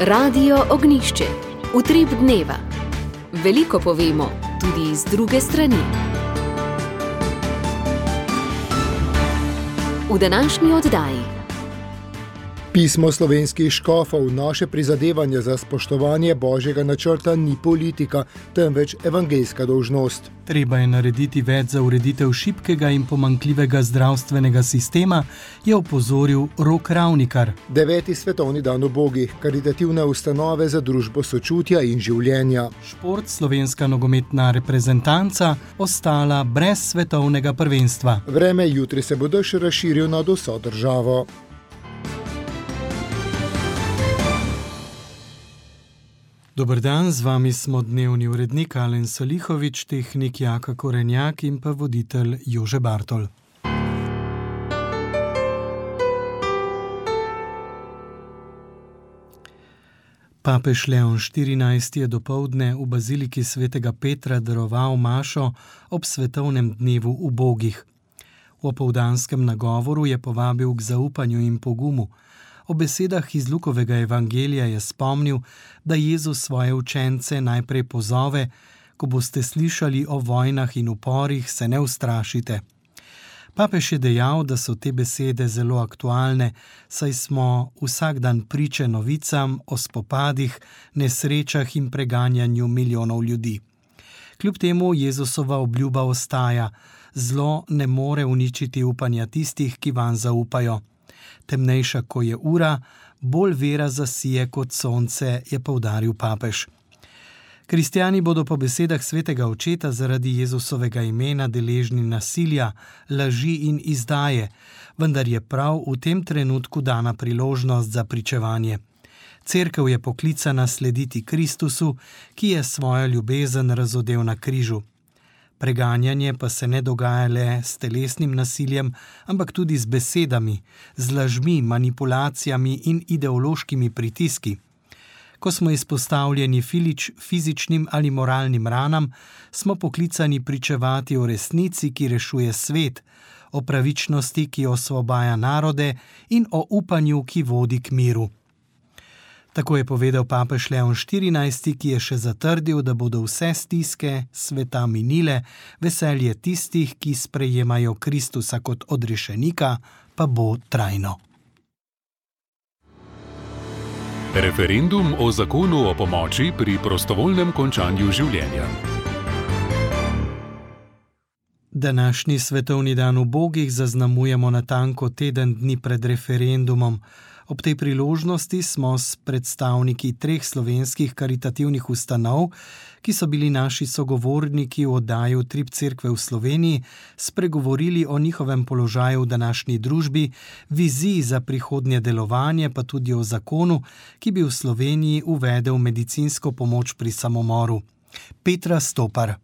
Radio Ognišče, utrip dneva. Veliko povemo, tudi z druge strani. V današnji oddaji. Pismo slovenskih škofov, naše prizadevanje za spoštovanje Božjega načrta ni politika, temveč evangeljska dolžnost. Treba je narediti več za ureditev šibkega in pomanjkljivega zdravstvenega sistema, je opozoril Rok Ravnikar. 9. svetovni dan ubogih, karitativne ustanove za družbo sočutja in življenja. Šport, slovenska nogometna reprezentanca, ostala brez svetovnega prvenstva. Vreme jutri se bo dež razširil nad vso državo. Dober dan, z vami smo dnevni urednik Alen Salihovič, tehnik Jaka Korenjak in pa voditelj Jože Bartol. Papež Leon XIV je dopoldne v baziliki svetega Petra daroval mašo ob svetovnem dnevu ubogih. V opoldanskem nagovoru je povabil k zaupanju in pogumu. O besedah iz Lukovega evangelija je spomnil, da Jezus svoje učence najprej pozove: ko boste slišali o vojnah in uporih, se ne ustrašite. Papež je dejal, da so te besede zelo aktualne, saj smo vsak dan priče novicam o spopadih, nesrečah in preganjanju milijonov ljudi. Kljub temu Jezusova obljuba ostaja: zlo ne more uničiti upanja tistih, ki vanj zaupajo. Temnejša, ko je ura, bolj vera zasije kot sonce, je poudaril papež. Kristjani bodo po besedah svetega očeta zaradi Jezusovega imena deležni nasilja, laži in izdaje, vendar je prav v tem trenutku dana priložnost za pričevanje. Cerkev je poklicana slediti Kristusu, ki je svojo ljubezen razodel na križu. Preganjanje pa se ne dogaja le s telesnim nasiljem, ampak tudi z besedami, z lažmi, manipulacijami in ideološkimi pritiski. Ko smo izpostavljeni fizičnim ali moralnim ranam, smo poklicani pričevati o resnici, ki rešuje svet, o pravičnosti, ki osvobaja narode, in o upanju, ki vodi k miru. Tako je povedal papež Leon XIV, ki je še zatrdil, da bodo vse stiske sveta minile, veselje tistih, ki sprejemajo Kristusa kot odrešenika, pa bo trajno. Referendum o zakonu o pomoči pri prostovoljnem končanju življenja. Današnji svetovni dan ubogih zaznamujemo natanko teden dni pred referendumom. Ob tej priložnosti smo s predstavniki 3 slovenskih karitativnih ustanov, ki so bili naši sogovorniki v oddaji Utrip cerkve v Sloveniji, spregovorili o njihovem položaju v današnji družbi, viziji za prihodnje delovanje, pa tudi o zakonu, ki bi v Sloveniji uvedel medicinsko pomoč pri samomoru. Petra Stopar.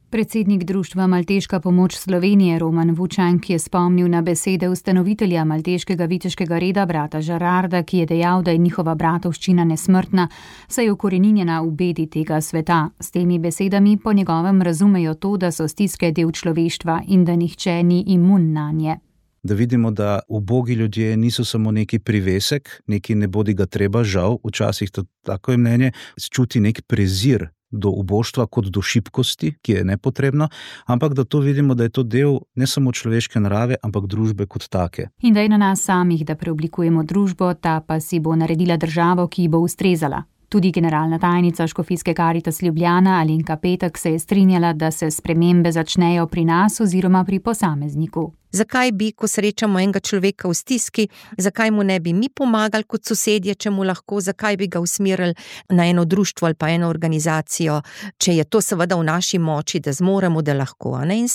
Predsednik društva Malteška pomoč Slovenije Roman Vučank je spomnil na besede ustanovitelja malteškega viteškega reda brata Žerarda, ki je dejal, da je njihova bratovščina nesmrtna, saj je ukoreninjena v bedi tega sveta. S temi besedami po njegovem razumejo to, da so stiske del človeštva in da nihče ni imun nanje. Da vidimo, da ubogi ljudje niso samo neki privesek, neki ne bodi ga treba, žal, včasih to tako je mnenje, čuti nek prezir do uboštva kot do šibkosti, ki je nepotrebna, ampak da to vidimo, da je to del ne samo človeške narave, ampak družbe kot take. In da je na nas samih, da preoblikujemo družbo, ta pa si bo naredila državo, ki bo ustrezala. Tudi generalna tajnica Škofijske Karitas Ljubljana Alenka Petek se je strinjala, da se spremembe začnejo pri nas oziroma pri posamezniku. Zakaj bi, ko srečamo enega človeka v stiski, zakaj mu ne bi mi pomagali kot sosedje, če mu lahko, zakaj bi ga usmerili na eno društvo ali pa eno organizacijo, če je to seveda v naši moči, da zmoremo, da lahko. In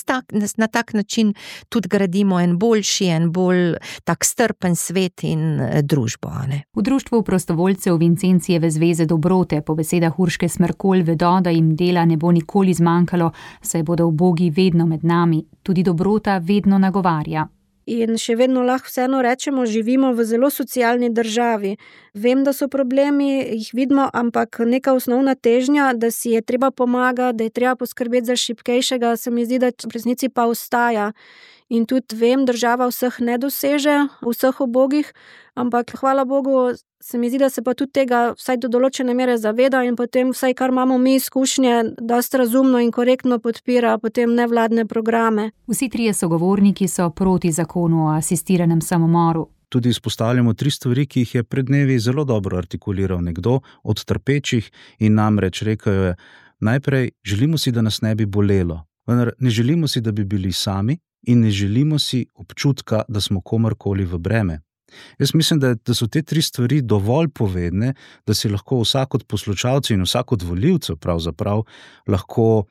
na tak način tudi gradimo en boljši, en bolj tak strpen svet in družbo. V društvu prostovoljcev Vincencijeve zveze dobrote po besedah Urške Smrkolj vedo, da jim dela ne bo nikoli zmanjkalo, saj bodo ubogi vedno med nami. Tudi dobrota vedno nagovarja. In še vedno lahko vseeno rečemo, živimo v zelo socialni državi. Vem, da so problemi, jih vidimo, ampak neka osnovna težnja, da si je treba pomagati, da je treba poskrbeti za šibkejšega, se mi zdi, da v resnici pa ostaja. in tudi vem, država vseh ne doseže, vseh ubogih, ampak hvala Bogu, se mi zdi, da se pa tudi tega vsaj do določene mere zaveda in potem vsaj kar imamo mi izkušnje, dosti razumno in korektno podpira potem nevladne programe. Vsi trije sogovorniki so proti zakonu o asistiranem samomoru. Tudi izpostavljamo 3 stvari, ki jih je pred dnevi zelo dobro artikuliral nekdo od trpečih in namreč rekel je, najprej želimo si, da nas ne bi bolelo, vendar ne želimo si, da bi bili sami in ne želimo si občutka, da smo komorkoli v breme. Jaz mislim, da so te 3 stvari dovolj povedne, da si lahko vsak od poslušalcev in vsak od volivcev pravzaprav lahko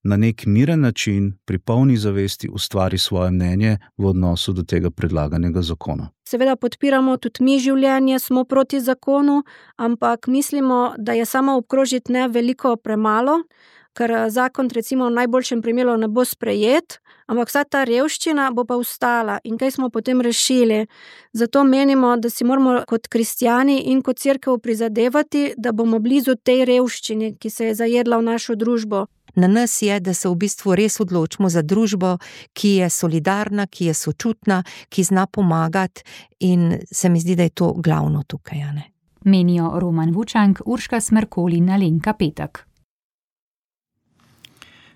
na nek miren način pri polni zavesti ustvari svoje mnenje v odnosu do tega predlaganega zakona. Seveda podpiramo tudi mi življenje, smo proti zakonu, ampak mislimo, da je samo obkrožiti ne veliko premalo, ker zakon recimo v najboljšem primeru ne bo sprejet, ampak vsa ta revščina bo pa ostala in kaj smo potem rešili. Zato menimo, da si moramo kot kristjani in kot cerkev prizadevati, da bomo blizu tej revščini, ki se je zajedla v našo družbo. Na nas je, da se v bistvu res odločimo za družbo, ki je solidarna, ki je sočutna, ki zna pomagati in se mi zdi, da je to glavno tukaj. Ne? Menijo Roman Vučank, Urška Smrkolj in Alenka Petek.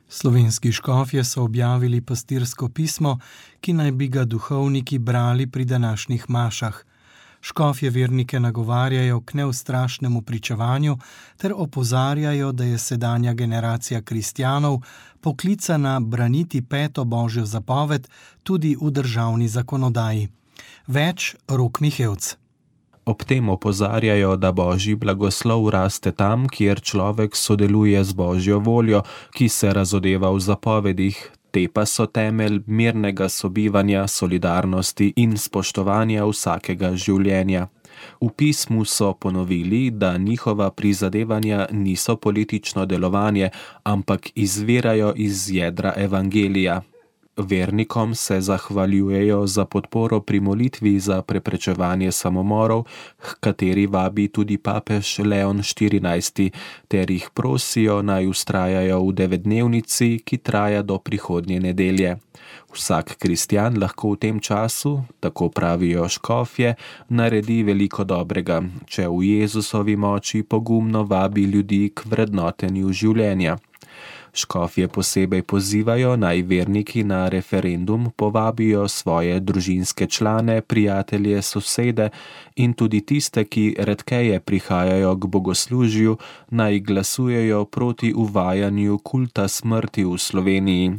Slovenski škofje so objavili pastirsko pismo, ki naj bi ga duhovniki brali pri današnjih mašah. Škofje vernike nagovarjajo k neustrašnemu pričevanju ter opozarjajo, da je sedanja generacija kristjanov poklicana braniti 5. božjo zapoved tudi v državni zakonodaji. Več Rok Mihevc. Ob tem opozarjajo, da božji blagoslov raste tam, kjer človek sodeluje z božjo voljo, ki se razodeva v zapovedih, te pa so temelj mirnega sobivanja, solidarnosti in spoštovanja vsakega življenja. V pismu so ponovili, da njihova prizadevanja niso politično delovanje, ampak izvirajo iz jedra evangelija. Vernikom se zahvaljujejo za podporo pri molitvi za preprečevanje samomorov, h kateri vabi tudi papež Leon 14, ter jih prosijo naj vztrajajo v 9-dnevnici, ki traja do prihodnje nedelje. Vsak kristjan lahko v tem času, tako pravijo škofje, naredi veliko dobrega, če v Jezusovi moči pogumno vabi ljudi k vrednotenju življenja. Škofje posebej pozivajo, naj verniki na referendum povabijo svoje družinske člane, prijatelje, sosede in tudi tiste, ki redkeje prihajajo k bogoslužju, naj glasujejo proti uvajanju kulta smrti v Sloveniji.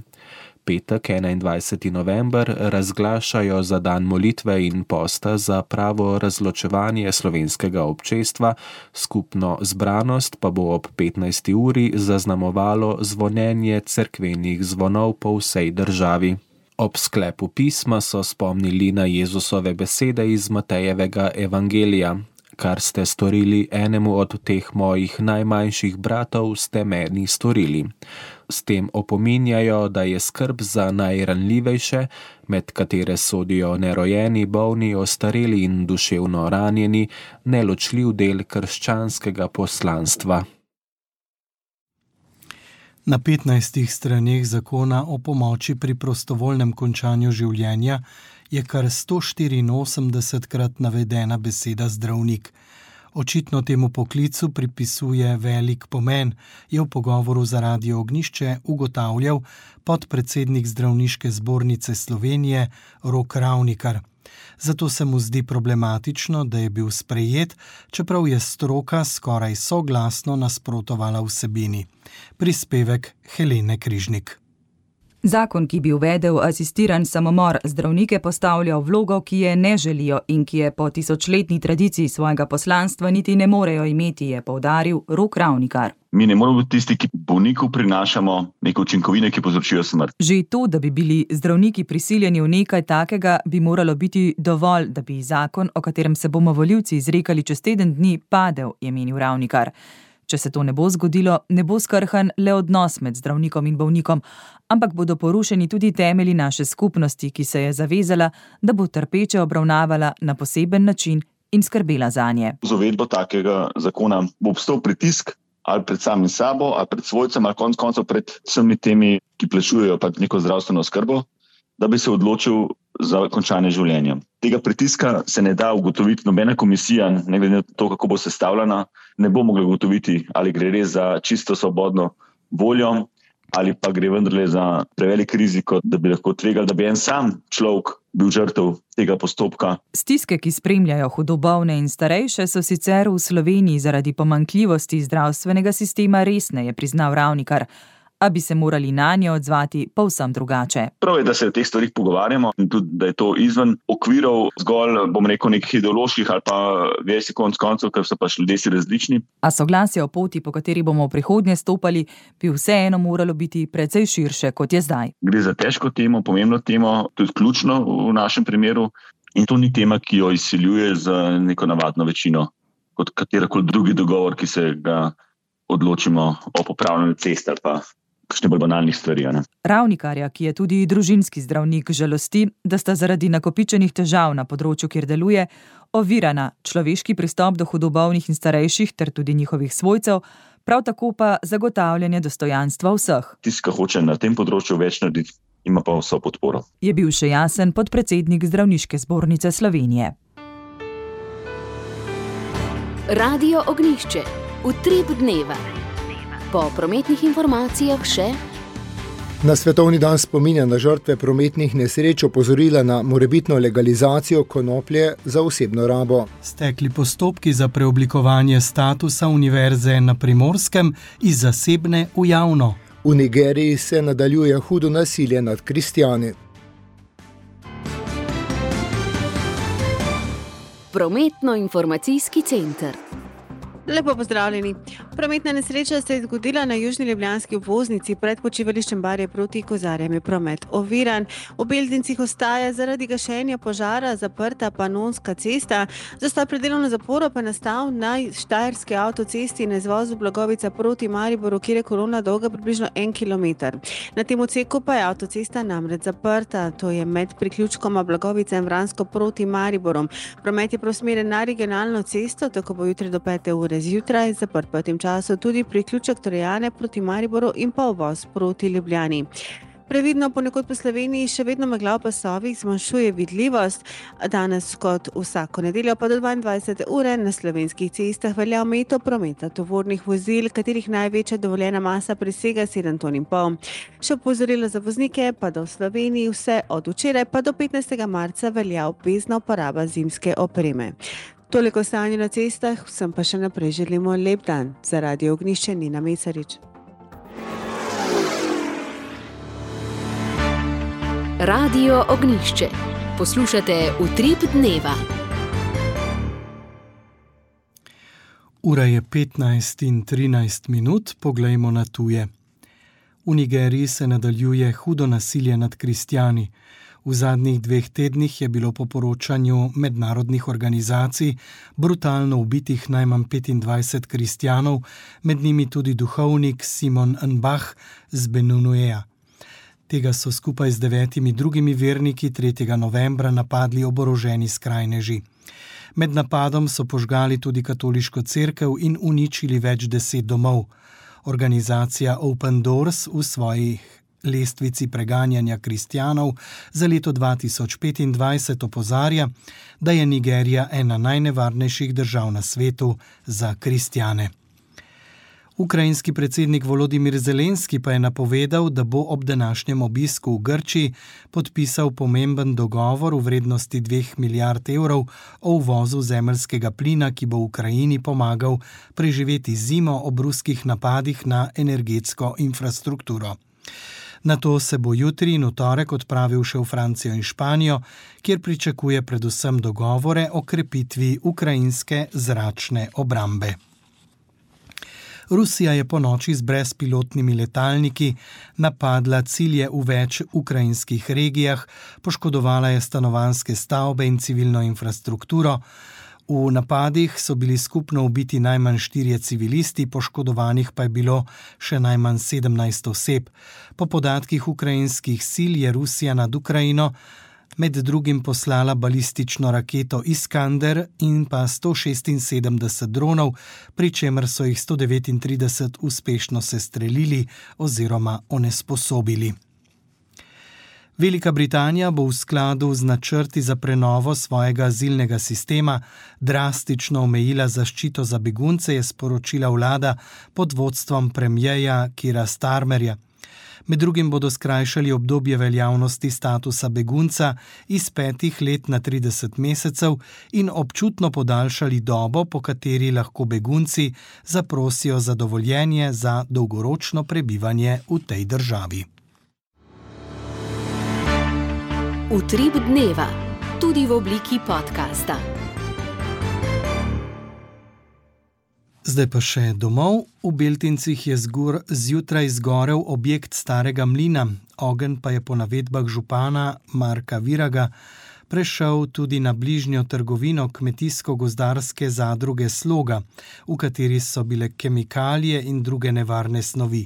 Petek, 21. november, razglašajo za dan molitve in posta za pravo razločevanje slovenskega občestva, skupno zbranost pa bo ob 15. uri zaznamovalo zvonjenje cerkvenih zvonov po vsej državi. Ob sklepu pisma so spomnili na Jezusove besede iz Matejevega evangelija. Kar ste storili enemu od teh mojih najmanjših bratov, ste meni storili. S tem opominjajo, da je skrb za najranljivejše, med katere sodijo nerojeni, bolni, ostareli in duševno ranjeni, neločljiv del krščanskega poslanstva. Na 15 straneh zakona o pomoči pri prostovoljnem končanju življenja je kar 184krat navedena beseda zdravnik. Očitno temu poklicu pripisuje velik pomen, je v pogovoru za Radio Ognjišče ugotavljal podpredsednik Zdravniške zbornice Slovenije Rok Ravnikar. Zato se mu zdi problematično, da je bil sprejet, čeprav je stroka skoraj soglasno nasprotovala vsebini. Prispevek Helene Križnik. Zakon, ki bi uvedel asistiran samomor, zdravnike postavlja v vlogo, ki je ne želijo in ki je po tisočletni tradiciji svojega poslanstva niti ne morejo imeti, je poudaril Rok Ravnikar. Mi ne moramo biti tisti, ki bolniku prinašamo neke učinkovine, ki povzročijo smrt. Že to, da bi bili zdravniki prisiljeni v nekaj takega, bi moralo biti dovolj, da bi zakon, o katerem se bomo volivci izrekali čez teden dni, padel, je menil Ravnikar. Če se to ne bo zgodilo, ne bo skrhan le odnos med zdravnikom in bolnikom, ampak bodo porušeni tudi temelji naše skupnosti, ki se je zavezala, da bo trpeče obravnavala na poseben način in skrbela zanje. Z uvedbo takega zakona bo obstal pritisk ali pred samim sabo, ali pred svojcem, ali konec koncev pred vsemi temi, ki plačujejo neko zdravstveno oskrbo. da bi se odločil za končanje življenja. Tega pritiska se ne da ugotoviti, nobena komisija, ne glede na to, kako bo sestavljena, ne bo mogla ugotoviti, ali gre res za čisto svobodno voljo, ali pa gre vendarle za prevelik riziko, da bi lahko tvegali, da bi en sam človek bil žrtev tega postopka. Stiske, ki spremljajo hudobolne in starejše, so sicer v Sloveniji zaradi pomanjkljivosti zdravstvenega sistema resne, je priznal Ravnikar, a bi se morali nanje odzvati povsem drugače. Prav je, da se o teh stvarih pogovarjamo in tudi, da je to izven okvirov zgolj, nekih ideoloških ali pa vesi konc koncev, ker so pač ljudje si različni. A soglasje o poti, po kateri bomo v prihodnje stopali, bi vseeno moralo biti precej širše, kot je zdaj. Gre za težko temo, pomembno temo, tudi ključno v našem primeru, in to ni tema, ki jo izsiljuje z neko navadno večino, kot katerakoli drugi dogovor, ki se ga odločimo o popravljanju cest ali pa kakšne bolj banalnih stvari. Ravnikarja, ki je tudi družinski zdravnik, žalosti, da sta zaradi nakopičenih težav na področju, kjer deluje, ovirana človeški pristop do hudobolnih in starejših ter tudi njihovih svojcev, prav tako pa zagotavljanje dostojanstva vseh. Tisti, ki hoče na tem področju več narediti, ima pa vso podporo. Je bil še jasen podpredsednik Zdravniške zbornice Slovenije. Radio Ognjišče. Utrip dneva. Po prometnih informacijah še. Na Svetovni dan spominja na žrtve prometnih nesreč opozorila na morebitno legalizacijo konoplje za osebno rabo. Stekli postopki za preoblikovanje statusa univerze na Primorskem iz zasebne v javno. V Nigeriji se nadaljuje hudo nasilje nad kristjani. Prometno-informacijski center. Lepo pozdravljeni. Prometna nesreča se je zgodila na južni ljubljanski obvoznici pred počivališčem Barje proti Kozarjem. Je promet oviran. V Beltincih ostaja zaradi gašenja požara zaprta Panonska cesta. Zastoj pred delovno zaporo pa nastal na Štajerski avtocesti na izvozu Blagovica proti Mariboru, kjer je kolona dolga približno 1 kilometer. Na tem odseku pa je avtocesta namreč zaprta. To je med priključkoma Blagovica in Vransko proti Mariborom. Promet je preusmerjen na regionalno cesto, tako bo jutri do 5 ure zjutraj, zaprt pa v tem času tudi priključek Trojane proti Mariboru in pa uvoz proti Ljubljani. Previdno ponekod po Sloveniji še vedno megla v pasovih zmanjšuje vidljivost. Danes kot vsako nedeljo pa do 22 ure na slovenskih cestah velja omejitev prometa tovornih vozil, katerih največja dovoljena masa presega 7,5 ton. Še opozorilo za voznike pa da v Sloveniji vse od včeraj pa do 15. marca velja obvezna uporaba zimske opreme. Toliko stanje na cestah, vsem pa še naprej želimo lep dan. Za Radio Ognjišče Nina Mesarič. Radio Ognjišče. Poslušate Utrip dneva. Ura je 15:13, poglejmo na tuje. V Nigeriji se nadaljuje hudo nasilje nad kristjani. V zadnjih 2 tednih je bilo po poročanju mednarodnih organizacij brutalno ubitih najmanj 25 kristjanov, med njimi tudi duhovnik Simon Nbah z Benunueja. Tega so skupaj z 9 drugimi verniki 3. novembra napadli oboroženi skrajneži. Med napadom so požgali tudi katoliško cerkev in uničili več 10 domov. Organizacija Open Doors v svojih lestvici preganjanja kristjanov za leto 2025 opozarja, da je Nigerija ena najnevarnejših držav na svetu za kristjane. Ukrajinski predsednik Volodimir Zelenski pa je napovedal, da bo ob današnjem obisku v Grčiji podpisal pomemben dogovor v vrednosti 2 milijard evrov o uvozu zemeljskega plina, ki bo Ukrajini pomagal preživeti zimo ob ruskih napadih na energetsko infrastrukturo. Nato se bo jutri in v torek odpravil še v Francijo in Španijo, kjer pričakuje predvsem dogovore o krepitvi ukrajinske zračne obrambe. Rusija je ponoči z brezpilotnimi letalniki napadla cilje v več ukrajinskih regijah, poškodovala je stanovanjske stavbe in civilno infrastrukturo. V napadih so bili skupno ubiti najmanj 4 civilisti, poškodovanih pa je bilo še najmanj 17 oseb. Po podatkih ukrajinskih sil je Rusija nad Ukrajino med drugim poslala balistično raketo Iskander in pa 176 dronov, pri čemer so jih 139 uspešno sestrelili oziroma onesposobili. Velika Britanija bo v skladu z načrti za prenovo svojega azilnega sistema drastično omejila zaščito za begunce, je sporočila vlada pod vodstvom premierja Keira Starmerja. Med drugim bodo skrajšali obdobje veljavnosti statusa begunca iz 5 let na 30 mesecev in občutno podaljšali dobo, po kateri lahko begunci zaprosijo za dovoljenje za dolgoročno prebivanje v tej državi. Utrip dneva, tudi v obliki podcasta. Zdaj pa še domov. V Beltincih je zjutraj zgorel objekt starega mlina. Ogenj pa je po navedbah župana Marka Viraga prešel tudi na bližnjo trgovino kmetijsko-gozdarske zadruge Sloga, v kateri so bile kemikalije in druge nevarne snovi.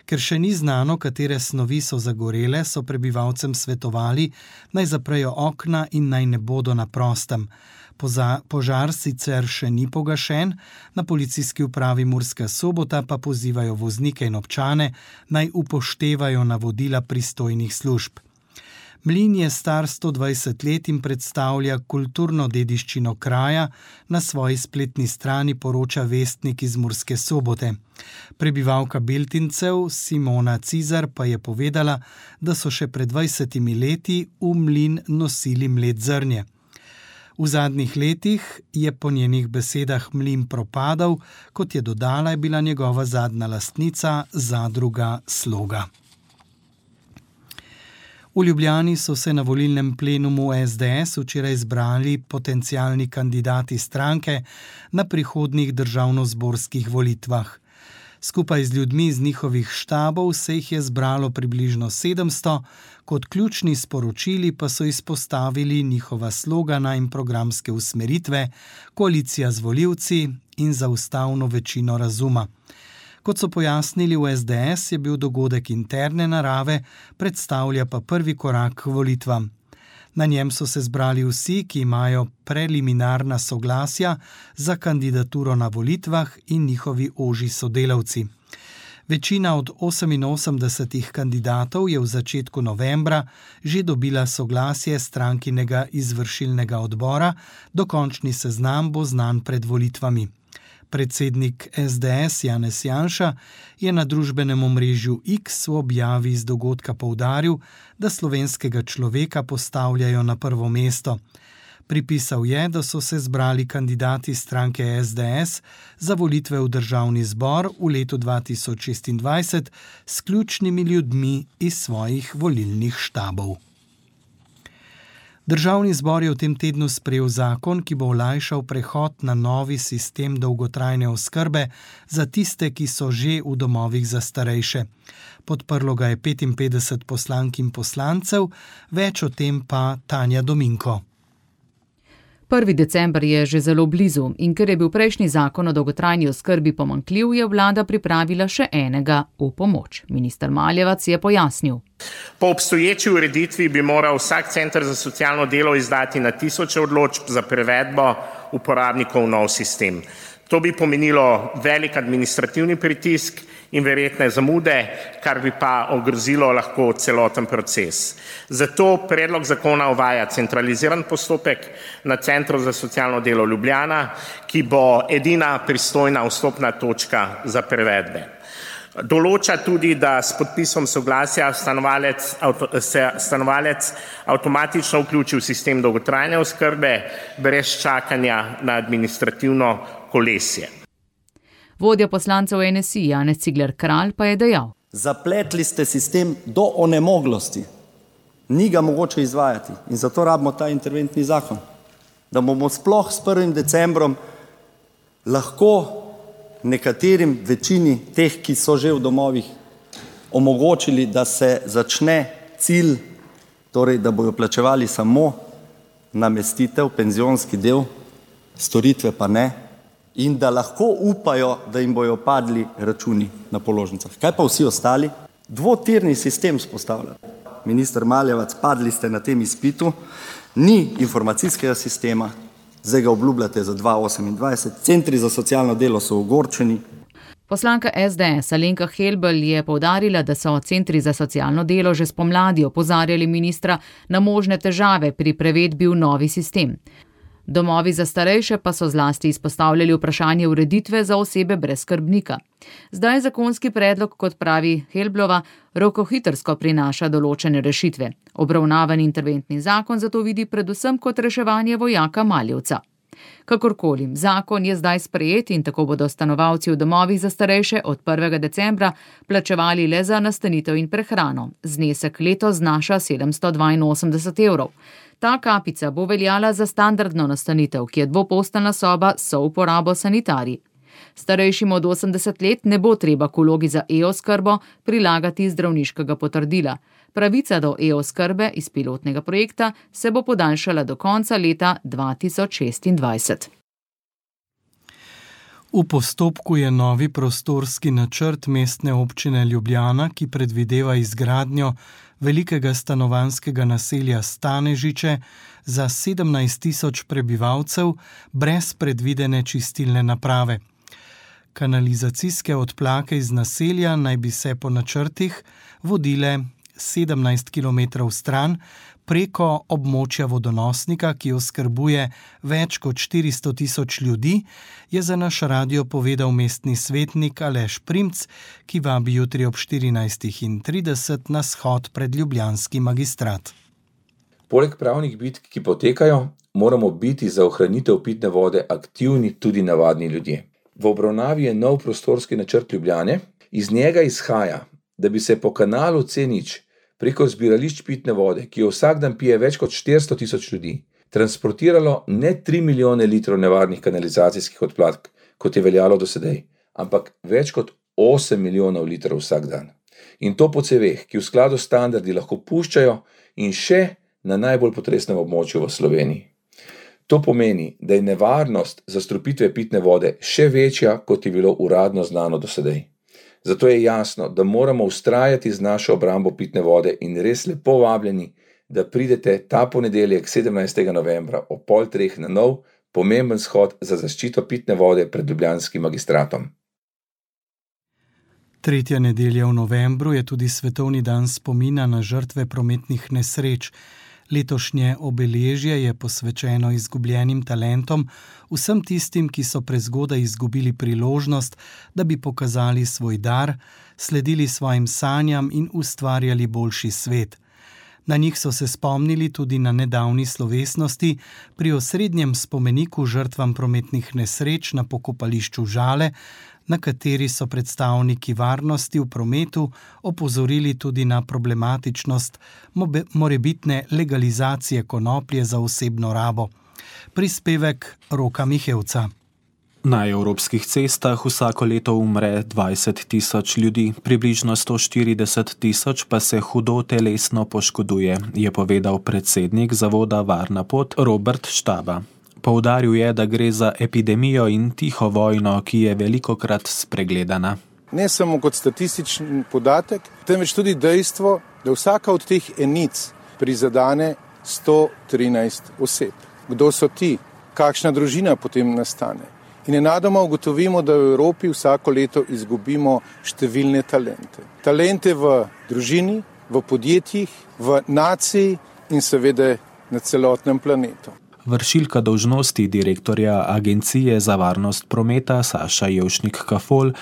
Ker še ni znano, katere snovi so zagorele, so prebivalcem svetovali, naj zaprejo okna in naj ne bodo na prostem. Požar sicer še ni pogašen, na policijski upravi Murska Sobota pa pozivajo voznike in občane, naj upoštevajo navodila pristojnih služb. Mlin je star 120 let in predstavlja kulturno dediščino kraja, na svoji spletni strani poroča vestnik iz Murske Sobote. Prebivalka Beltincev Simona Cizar pa je povedala, da so še pred 20 leti v mlin nosili mlet zrnje. V zadnjih letih je po njenih besedah mlin propadal, kot je dodala, je bila njegova zadnja lastnica zadruga Sloga. V Ljubljani so se na volilnem plenumu SDS včeraj zbrali potencialni kandidati stranke na prihodnjih državnozborskih volitvah. Skupaj z ljudmi iz njihovih štabov se jih je zbralo približno 700, kot ključni sporočili pa so izpostavili njihova slogana in programske usmeritve, koalicija z volivci in za ustavno večino razuma. Kot so pojasnili v SDS, je bil dogodek interne narave, predstavlja pa prvi korak k volitvam. Na njem so se zbrali vsi, ki imajo preliminarna soglasja za kandidaturo na volitvah in njihovi ožji sodelavci. Večina od 88 kandidatov je v začetku novembra že dobila soglasje strankinega izvršilnega odbora, dokončni seznam bo znan pred volitvami. Predsednik SDS Janez Janša je na družbenem omrežju X v objavi z dogodka poudaril, da slovenskega človeka postavljajo na prvo mesto. Pripisal je, da so se zbrali kandidati stranke SDS za volitve v državni zbor v letu 2026 s ključnimi ljudmi iz svojih volilnih štabov. Državni zbor je v tem tednu sprejel zakon, ki bo olajšal prehod na novi sistem dolgotrajne oskrbe za tiste, ki so že v domovih za starejše. Podprlo ga je 55 poslank in poslancev, več o tem pa Tanja Dominko. 1. december je že zelo blizu in ker je bil prejšnji zakon o dolgotrajni oskrbi pomanjkljiv, je vlada pripravila še enega v pomoč. Minister Maljevac je pojasnil. Po obstoječi ureditvi bi moral vsak center za socialno delo izdati na 1000 odločb za prevedbo uporabnikov v nov sistem. To bi pomenilo velik administrativni pritisk in verjetne zamude, kar bi pa ogrozilo lahko celoten proces. Zato predlog zakona uvaja centraliziran postopek na Centru za socialno delo Ljubljana, ki bo edina pristojna vstopna točka za prevedbe. Določa tudi, da s podpisom soglasja stanovalec avtomatično vključi v sistem dolgotrajne oskrbe brez čakanja na administrativno kolesje. Vodja poslancev NSI Janez Cigler Kralj pa je dejal. Zapletli ste sistem do onemoglosti. Ni ga mogoče izvajati in zato rabimo ta interventni zakon. Da bomo sploh s 1. decembrom lahko nekaterim večini teh, ki so že v domovih, omogočili, da se začne cilj, torej da bojo plačevali samo namestitev, penzionski del, storitve pa ne, in da lahko upajo, da jim bojo padli računi na položnicah. Kaj pa vsi ostali? Dvotirni sistem spostavlja. Minister Maljevac, padli ste na tem izpitu, ni informacijskega sistema, zdaj ga obljubljate za 2028, centri za socialno delo so ogorčeni. Poslanka SDS Alenka Helbl je poudarila, da so centri za socialno delo že spomladi opozarjali ministra na možne težave pri prevedbi v novi sistem. Domovi za starejše pa so zlasti izpostavljali vprašanje ureditve za osebe brez skrbnika. Zdaj zakonski predlog, kot pravi Helblova, rokohitrsko prinaša določene rešitve. Obravnavani interventni zakon zato vidi predvsem kot reševanje vojaka Maljevca. Kakorkoli, zakon je zdaj sprejet in tako bodo stanovalci v domovih za starejše od 1. decembra plačevali le za nastanitev in prehrano. Znesek letos znaša 782 evrov. Ta kapica bo veljala za standardno nastanitev, ki je dvoposteljna soba s souporabo sanitarij. Starejšim od 80 let ne bo treba k vlogi za e-oskrbo prilagati zdravniškega potrdila. Pravica do e-oskrbe iz pilotnega projekta se bo podaljšala do konca leta 2026. V postopku je novi prostorski načrt Mestne občine Ljubljana, ki predvideva izgradnjo velikega stanovanjskega naselja Stanežiče za 17.000 prebivalcev brez predvidene čistilne naprave. Kanalizacijske odplake iz naselja naj bi se po načrtih vodile 17 km stran preko območja vodonosnika, ki oskrbuje več kot 400.000 ljudi, je za naš radio povedal mestni svetnik Aleš Primc, ki vabi jutri ob 14.30 na shod pred ljubljanski magistrat. Poleg pravnih bitk, ki potekajo, moramo biti za ohranitev pitne vode aktivni tudi navadni ljudje. V obravnavi je nov prostorski načrt Ljubljane. Iz njega izhaja, da bi se po kanalu C0 preko zbirališč pitne vode, ki jo vsak dan pije več kot 400.000 ljudi, transportiralo ne 3 milijone litrov nevarnih kanalizacijskih odplak, kot je veljalo do sedaj, ampak več kot 8 milijonov litrov vsak dan. In to po ceveh, ki v skladu s standardi lahko puščajo in še na najbolj potresnem območju v Sloveniji. To pomeni, da je nevarnost zastrupitve pitne vode še večja, kot je bilo uradno znano do sedaj. Zato je jasno, da moramo vztrajati z našo obrambo pitne vode in res lepo vabljeni, da pridete ta ponedeljek 17. novembra ob 2:30 na nov, pomemben shod za zaščito pitne vode pred ljubljanskim magistratom. 3. nedelja v novembru je tudi svetovni dan spomina na žrtve prometnih nesreč. Letošnje obeležje je posvečeno izgubljenim talentom, vsem tistim, ki so prezgodaj izgubili priložnost, da bi pokazali svoj dar, sledili svojim sanjam in ustvarjali boljši svet. Na njih so se spomnili tudi na nedavni slovesnosti pri osrednjem spomeniku žrtvam prometnih nesreč na pokopališču Žale, na kateri so predstavniki varnosti v prometu opozorili tudi na problematičnost morebitne legalizacije konoplje za osebno rabo. Prispevek Roka Mihevca. Na evropskih cestah vsako leto umre 20.000 ljudi, približno 140.000 pa se hudo telesno poškoduje, je povedal predsednik zavoda Varna pot Robert Štaba. Poudaril je, da gre za epidemijo in tiho vojno, ki je velikokrat spregledana. Ne samo kot statistični podatek, temveč tudi dejstvo, da vsaka od teh enic prizadene 113 oseb. Kdo so ti? Kakšna družina potem nastane? In nenadoma ugotovimo, da v Evropi vsako leto izgubimo številne talente. Talente v družini, v podjetjih, v naciji in seveda na celotnem planetu. Vršilka dolžnosti direktorja Agencije za varnost prometa Saša Jevšnik-Kafol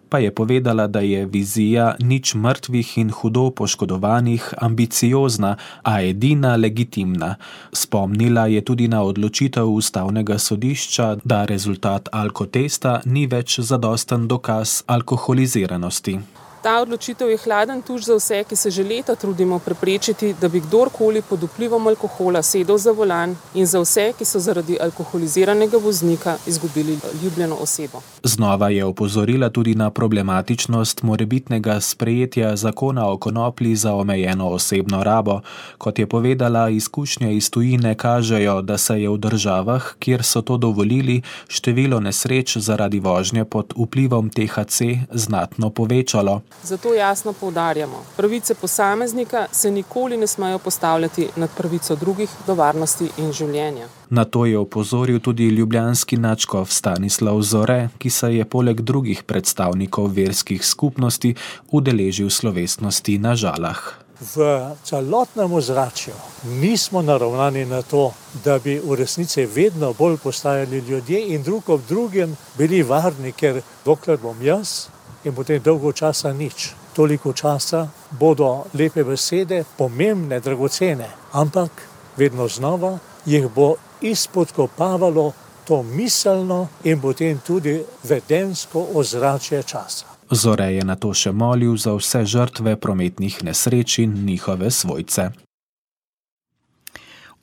pa je povedala, da je vizija nič mrtvih in hudo poškodovanih ambiciozna, a edina legitimna. Spomnila je tudi na odločitev Ustavnega sodišča, da rezultat alkotesta ni več zadosten dokaz alkoholiziranosti. Ta odločitev je hladen tuš za vse, ki se že leta trudimo preprečiti, da bi kdorkoli pod vplivom alkohola sedel za volan, in za vse, ki so zaradi alkoholiziranega voznika izgubili ljubljeno osebo. Znova je opozorila tudi na problematičnost morebitnega sprejetja zakona o konoplji za omejeno osebno rabo. Kot je povedala, izkušnje iz tujine kažejo, da se je v državah, kjer so to dovolili, število nesreč zaradi vožnje pod vplivom THC znatno povečalo. Zato jasno poudarjamo, pravice posameznika se nikoli ne smejo postavljati nad pravico drugih do varnosti in življenja. Na to je opozoril tudi ljubljanski nadškof Stanislav Zore, ki se je poleg drugih predstavnikov verskih skupnosti udeležil slovesnosti na Žalah. V celotnem ozračju nismo naravnani na to, da bi v resnici vedno bolj postajali ljudje in drug ob drugem bili varni, ker dokler bom jaz in potem dolgo časa nič. Toliko časa bodo lepe besede, pomembne, dragocene, ampak vedno znova jih bo izpodkopavalo to miselno in potem tudi vedensko ozračje časa. Zore je nato še molil za vse žrtve prometnih nesreč in njihove svojce.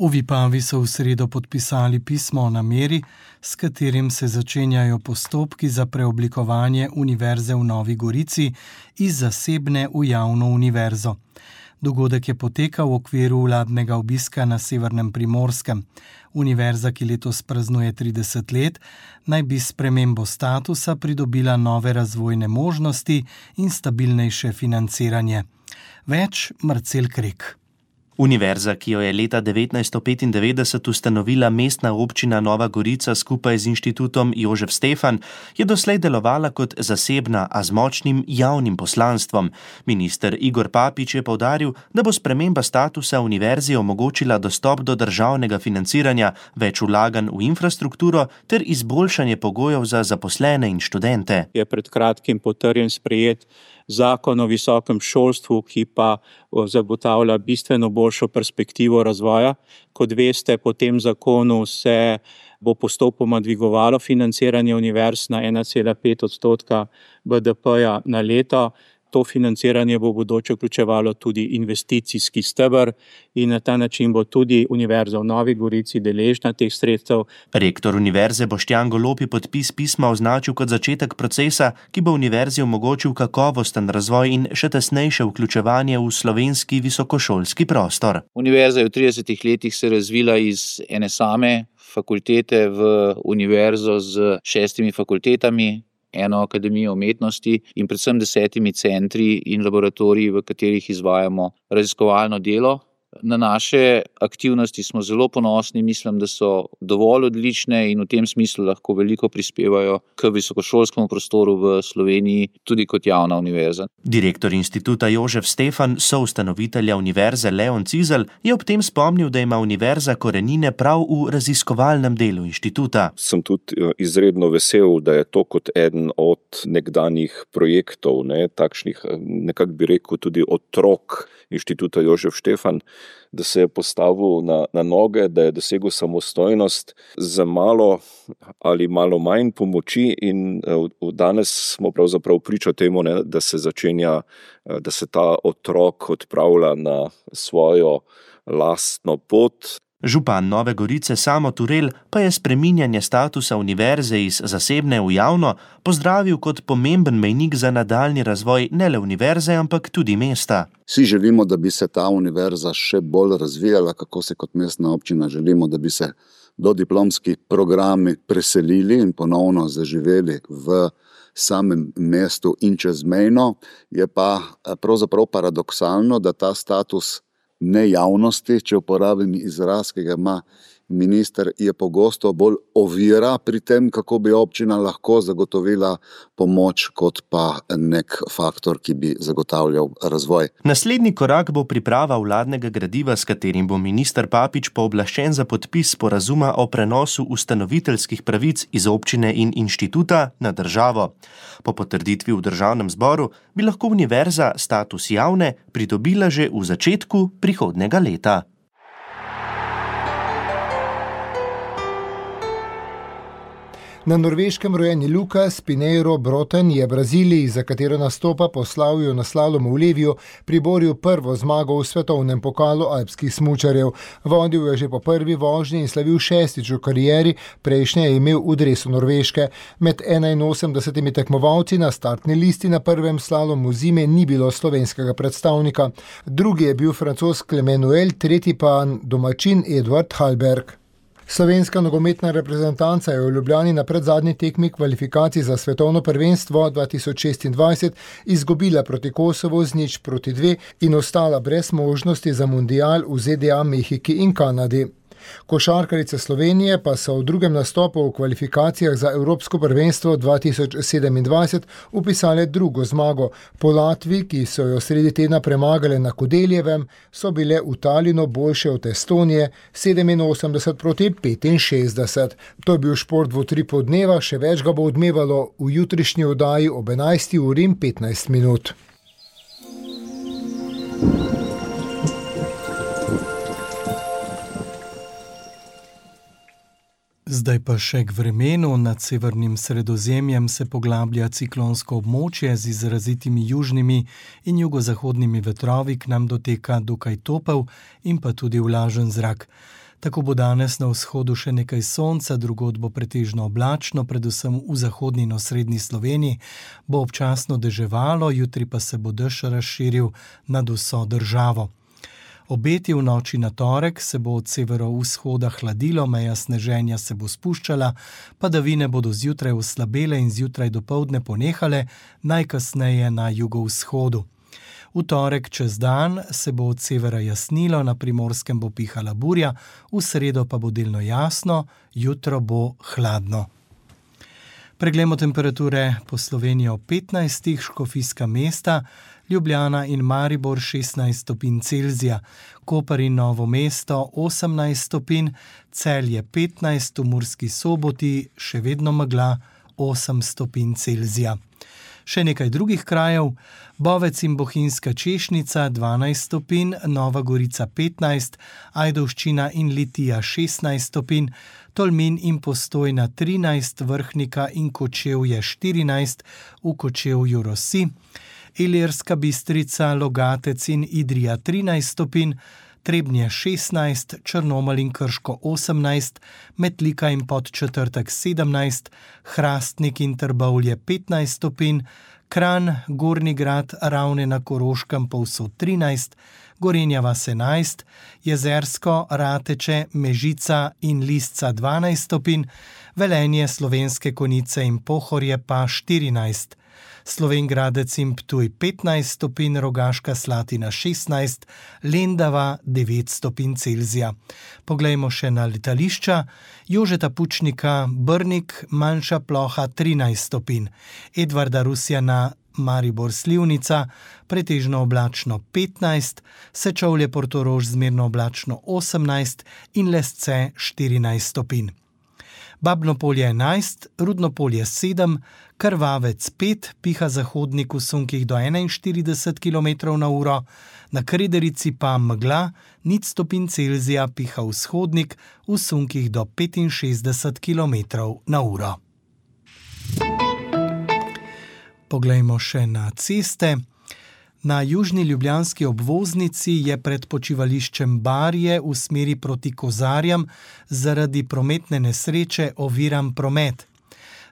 V Vipavi so v sredo podpisali pismo o nameri, s katerim se začenjajo postopki za preoblikovanje Univerze v Novi Gorici iz zasebne v javno univerzo. Dogodek je potekal v okviru vladnega obiska na severnem Primorskem. Univerza, ki letos praznuje 30 let, naj bi s spremembo statusa pridobila nove razvojne možnosti in stabilnejše financiranje. Več Marcel Krek. Univerza, ki jo je leta 1995 ustanovila mestna občina Nova Gorica skupaj z inštitutom Jožef Stefan, je doslej delovala kot zasebna, a z močnim javnim poslanstvom. Minister Igor Papič je poudaril, da bo sprememba statusa univerzi omogočila dostop do državnega financiranja, več vlaganj v infrastrukturo ter izboljšanje pogojev za zaposlene in študente. Je pred kratkim potrjen sprejet zakon o visokem šolstvu, ki pa zagotavlja bistveno boljšo perspektivo razvoja. Kot veste, po tem zakonu se bo postopoma dvigovalo financiranje univerz na 1,5% BDP-ja na leto. To financiranje bo v bodoče vključevalo tudi investicijski steber in na ta način bo tudi Univerza v Novi Gorici deležna teh sredstev. Rektor univerze Boštjan Golob je podpis pisma označil kot začetek procesa, ki bo univerzi omogočil kakovosten razvoj in še tesnejše vključevanje v slovenski visokošolski prostor. Univerza je v 30 letih se razvila iz ene same fakultete v univerzo z 6 fakultetami, eno akademijo umetnosti in predvsem 10 centri in laboratoriji, v katerih izvajamo raziskovalno delo. Na naše aktivnosti smo zelo ponosni, mislim, da so dovolj odlične in v tem smislu lahko veliko prispevajo k visokošolskemu prostoru v Sloveniji, tudi kot javna univerza. Direktor inštituta Jožef Stefan, soustanovitelja univerze Leon Cizelj, je ob tem spomnil, da ima univerza korenine prav v raziskovalnem delu inštituta. Sem tudi izredno vesel, da je to kot eden od nekdanjih projektov, takšnih, nekako bi rekel, tudi otrok inštituta Jožef Stefan, da se je postavil na noge, da je dosegel samostojnost z malo ali malo manj pomoči in danes smo pravzaprav priča temu, da se začenja, da se ta otrok odpravlja na svojo lastno pot. Župan Nove Gorice Samo Turel pa je spreminjanje statusa univerze iz zasebne v javno pozdravil kot pomemben mejnik za nadaljnji razvoj ne le univerze, ampak tudi mesta. Vsi želimo, da bi se ta univerza še bolj razvijala, kako se kot mestna občina želimo, da bi se dodiplomski programi preselili in ponovno zaživeli v samem mestu in čezmejno. Je pa pravzaprav paradoksalno, da ta status nejavnosti, če uporabim izraz, ki ga ima minister, je pogosto bolj ovira pri tem, kako bi občina lahko zagotovila pomoč, kot pa nek faktor, ki bi zagotavljal razvoj. Naslednji korak bo priprava vladnega gradiva, s katerim bo minister Papič pooblaščen za podpis sporazuma o prenosu ustanoviteljskih pravic iz občine in inštituta na državo. Po potrditvi v državnem zboru bi lahko univerza status javne pridobila že v začetku prihodnjega leta. Na Norveškem rojeni Lukas Pinheiro Broten je Braziliji, za katero nastopa po slavju na slalomu v Leviju, priboril prvo zmago v svetovnem pokalu alpskih smučarjev. Vodil je že po prvi vožnji in slavil 6. v karieri, prejšnje je imel v dresu Norveške. Med 81 tekmovalci na startni listi na prvem slalomu zime ni bilo slovenskega predstavnika. Drugi je bil Francoz Clement Noël, tretji pa domačin Eduard Halberg. Slovenska nogometna reprezentanca je v Ljubljani na predzadnji tekmi kvalifikacij za svetovno prvenstvo 2026 izgubila proti Kosovu z 0-2 in ostala brez možnosti za mundial v ZDA, Mehiki in Kanadi. Košarkarice Slovenije pa so v drugem nastopu v kvalifikacijah za Evropsko prvenstvo 2027 upisale drugo zmago. Po Latviji, ki so jo sredi tedna premagale na Kodeljevem, so bile v Talinu boljše od Estonije 87-65. To je bil šport v utripu dneva, še več ga bo odmevalo v jutrišnji oddaji ob 11:15. Zdaj pa še k vremenu. Nad severnim Sredozemljem se poglablja ciklonsko območje z izrazitimi južnimi in jugozahodnimi vetrovi, k nam doteka dokaj topel in pa tudi vlažen zrak. Tako bo danes na vzhodu še nekaj sonca, drugod bo pretežno oblačno, predvsem v zahodni in osrednji Sloveniji bo občasno deževalo, jutri pa se bo dež razširil nad vso državo. Obeti v noči na torek se bo od severovzhoda hladilo, meja sneženja se bo spuščala, padavine bodo zjutraj oslabele in zjutraj dopoldne ponehale, najkasneje na jugovzhodu. V torek čez dan se bo od severa jasnilo, na Primorskem bo pihala burja, v sredo pa bo delno jasno, jutro bo hladno. Preglejmo temperature po Sloveniji ob 15, Škofijska Mesta, Ljubljana in Maribor 16 stopinj Celzija, Koper in Novo mesto 18 stopinj, Celje 15, v Murski Soboti še vedno megla 8 stopinj Celzija. Še nekaj drugih krajev: Bovec in Bohinjska Češnica 12 stopinj, Nova Gorica 15, Ajdovščina in Litija 16 stopinj, Tolmin in Postojna 13, Vrhnika in Kočevje 14, v Kočevju rosi, Ilirska Bistrica, Logatec in Idrija 13 stopinj, Trebnje 16, Črnomelj in Krško 18, Metlika in Podčetrtek 17, Hrastnik in Trbovlje 15 stopinj, Kranj, Gornji Grad, Ravne na Koroškem povsod 13, Gorenja vas 11, Jezersko, Rateče, Mežica in Lisca 12 stopinj, Velenje, Slovenske Konjice in Pohorje pa 14. Slovenj Gradec in Ptuj 15 stopinj, Rogaška Slatina 16, Lendava 9 stopinj Celzija. Poglejmo še na letališča. Jožeta Pučnika Brnik, manjša ploha 13 stopinj, Edvarda Rusjana Maribor Slivnica, pretežno oblačno 15, Sečovlje Portorož zmerno oblačno 18 in Lesce 14 stopinj. Babno Polje 11, Rudno Polje 7, Krvavec 5, piha zahodnik v sunkih do 41 km/h, na Krederici pa megla, 0 stopinj Celzija, piha vzhodnik v sunkih do 65 km/h. Poglejmo še na ceste. Na južni ljubljanski obvoznici je pred počivališčem Barje v smeri proti Kozarjam zaradi prometne nesreče oviran promet.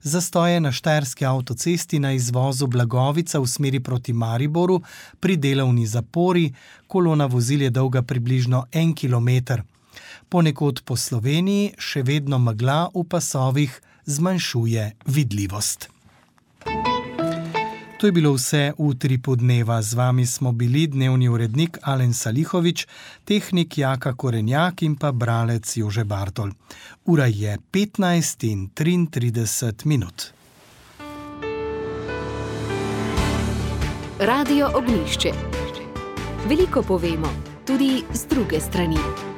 Zastoje na Štajerski avtocesti na izvozu Blagovica v smeri proti Mariboru pri delovni zapori, kolona vozil je dolga približno 1 kilometer. Ponekod po Sloveniji še vedno megla v pasovih zmanjšuje vidljivost. To je bilo vse v Utripu dneva. Z vami smo bili dnevni urednik Alen Salihovič, tehnik Jaka Korenjak in pa bralec Jože Bartol. Ura je 15:33. Radio Ognjišče. Veliko povemo, tudi z druge strani.